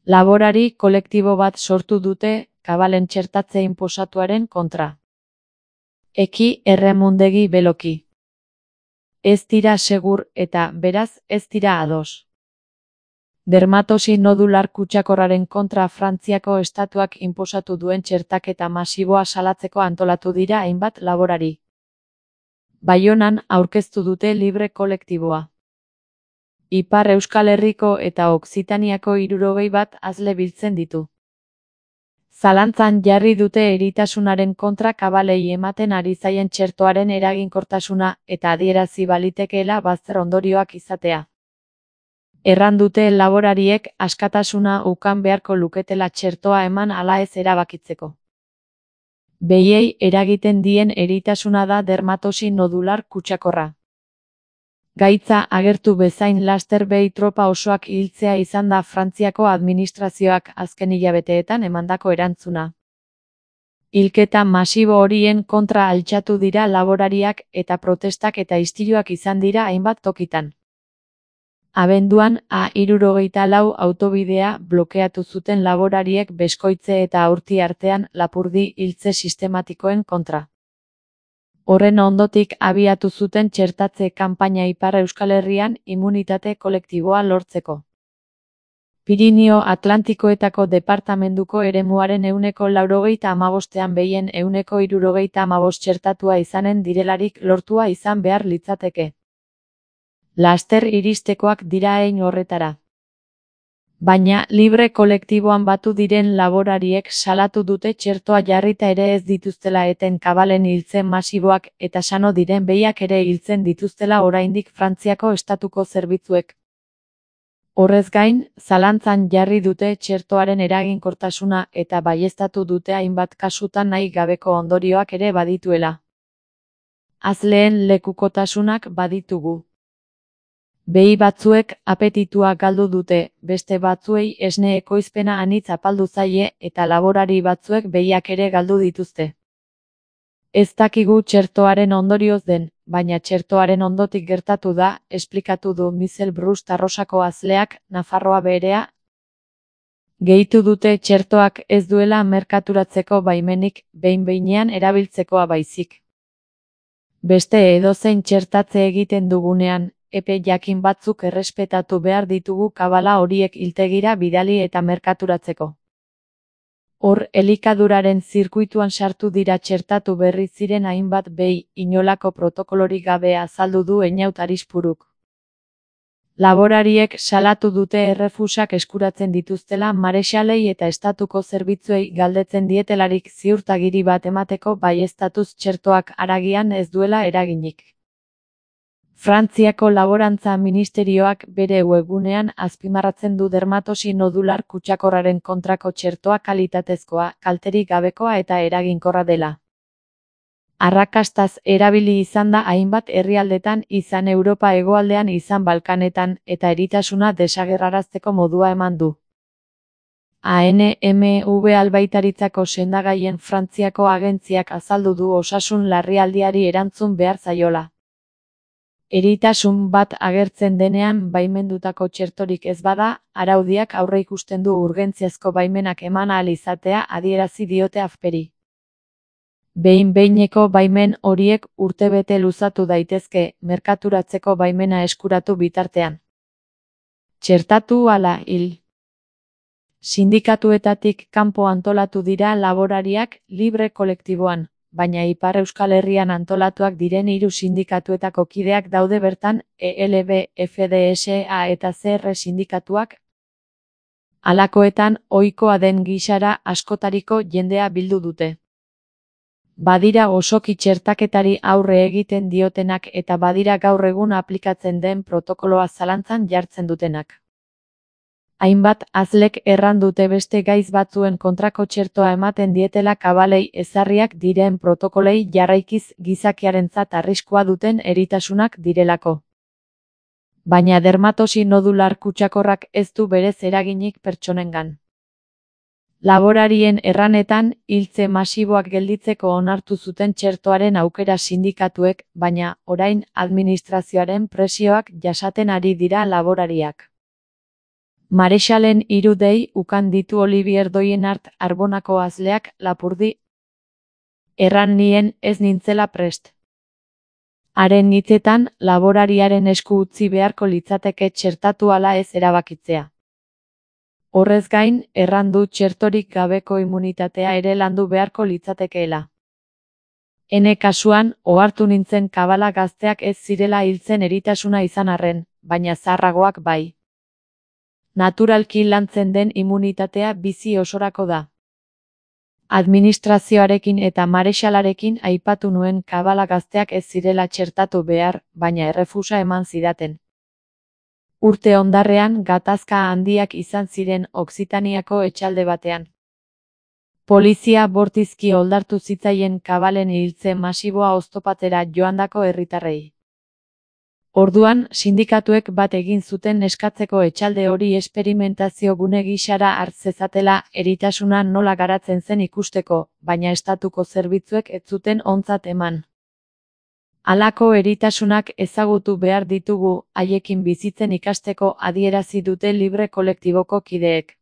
Laborari kolektibo bat sortu dute kabalen txertatze inposatuaren kontra. Eki erremundegi beloki. Ez dira segur eta, beraz, ez dira ados. Dermatosi nodular kutsakorraren kontra Frantziako estatuak inposatu duen txertaketa masiboa salatzeko antolatu dira hainbat laborari. Baionan aurkeztu dute libre kolektiboa. Ipar Euskal Herriko eta Okzitaniako 61 azle biltzen ditu. Zalantzan jarri dute eritasunaren kontra kabalei ematen ari zaien txertoaren eraginkortasuna eta adierazi balitekeela bazter ondorioak izatea. Erran dute laborariek askatasuna ukan beharko luketela txertoa eman ala ez erabakitzeko. Behiei eragiten dien eritasuna da dermatosi nodular kutsakorra. Gaitza agertu bezain laster behi tropa osoak hiltzea izan da Frantziako administrazioak azken hilabeteetan emandako erantzuna. Hilketa masibo horien kontra altxatu dira laborariak eta protestak eta istiluak izan dira hainbat tokitan. Abenduan A74 autobidea blokeatu zuten laborariek Beskoitze eta Aurti artean lapurdi hiltze sistematikoen kontra. Horren ondotik abiatu zuten txertatze kanpaina Ipar Euskal Herrian immunitate kolektiboa lortzeko. Pirinio Atlantikoetako departamenduko eremuaren 95%ean behien 65% txertatua izanen direlarik lortua izan behar litzateke. Laster iristekoak dira hein horretara. Baina libre kolektiboan batu diren laborariek salatu dute txertoa jarrita ere ez dituztela eten kabalen hiltzen masiboak eta sano diren behiak ere hiltzen dituztela oraindik Frantziako estatuko zerbitzuek. Horrez gain, zalantzan jarri dute txertoaren eraginkortasuna eta baieztatu dute hainbat kasutan nahi gabeko ondorioak ere badituela. Azleen lekukotasunak baditugu. Behi batzuek apetitua galdu dute, beste batzuei esne ekoizpena anitz apaldu zaie eta laborari batzuek behiak ere galdu dituzte. Ez dakigu txertoaren ondorioz den, baina txertoaren ondotik gertatu da, esplikatu du Michel Brust Arrosako azleak, Nafarroa Beherea. Gehitu dute txertoak ez duela merkaturatzeko baimenik, behin-behinean erabiltzekoa baizik. Beste edozein txertatze egiten dugunean, epe jakin batzuk errespetatu behar ditugu kabala horiek hiltegira bidali eta merkaturatzeko. Hor, elikaduraren zirkuituan sartu dira txertatu berri ziren hainbat behi, inolako protokolorik gabe azaldu du Einaut Arispuruk. Laborariek salatu dute errefusak eskuratzen dituztela marexalei eta estatuko zerbitzuei galdetzen dietelarik ziurtagiri bat emateko baieztatuz txertoak haragian ez duela eraginik. Frantziako Laborantza Ministerioak bere webgunean azpimarratzen du dermatosi nodular kutsakorraren kontrako txertoa kalitatezkoa, kalterik gabekoa eta eraginkorra dela. Arrakastaz erabili izan da hainbat herrialdetan izan Europa hegoaldean izan Balkanetan eta eritasuna desagerrarazteko modua eman du. ANMV albaitaritzako sendagaien Frantziako agentziak azaldu du osasun larrialdiari erantzun behar zaiola. Eritasun bat agertzen denean baimendutako txertorik ez bada, araudiak aurreikusten du urgentziazko baimenak eman ahal izatea adierazi diote AFPeri. Behin-behineko baimen horiek urtebete luzatu daitezke, merkaturatzeko baimena eskuratu bitartean. Txertatu ala hil. Sindikatuetatik kanpo antolatu dira laborariak libre kolektiboan. Baina Ipar Euskal Herrian antolatuak diren 3 sindikatuetako kideak daude bertan, ELB, FDSA eta CR sindikatuak. Halakoetan, ohikoa den gisara askotariko jendea bildu dute. Badira osoki txertaketari aurre egiten diotenak eta badira gaur egun aplikatzen den protokoloa zalantzan jartzen dutenak. Hainbat azlek erran dute beste gaiz batzuen kontrako txertoa ematen dietela kabalei ezarriak diren protokolei jarraikiz gizakiarentzat arriskua duten eritasunak direlako. Baina dermatosi nodular kutsakorrak ez du berez eraginik pertsonengan. Laborarien erranetan, hiltze masiboak gelditzeko onartu zuten txertoaren aukera sindikatuek, baina, orain, administrazioaren presioak jasaten ari dira laborariak. Marexalen irudei ukan ditu Olivier Doyenart Arbonako azleak lapurdi. Erran nien ez nintzela prest. Haren hitzetan, laborariaren esku utzi beharko litzateke txertatu ala ez erabakitzea. Horrez gain, erran du txertorik gabeko immunitatea ere landu beharko litzatekeela. Ene kasuan, ohartu nintzen kabala gazteak ez zirela hiltzen eritasuna izan arren, baina zaharragoak bai. Naturalki lantzen den immunitatea bizi osorako da. Administrazioarekin eta marexalarekin aipatu nuen kabala gazteak ez zirela txertatu behar, baina errefusa eman zidaten. Urte ondarrean gatazka handiak izan ziren Okzitaniako etxalde batean. Polizia bortizki oldartu zitzaien kabalen hiltze masiboa oztopatzera joandako herritarrei. Orduan, sindikatuek bat egin zuten eskatzeko etxalde hori esperimentazio gune gisara hart zezatela eritasuna nola garatzen zen ikusteko, baina estatuko zerbitzuek ez zuten ontzat eman. Halako eritasunak ezagutu behar ditugu, haiekin bizitzen ikasteko adierazi dute Libre kolektiboko kideek.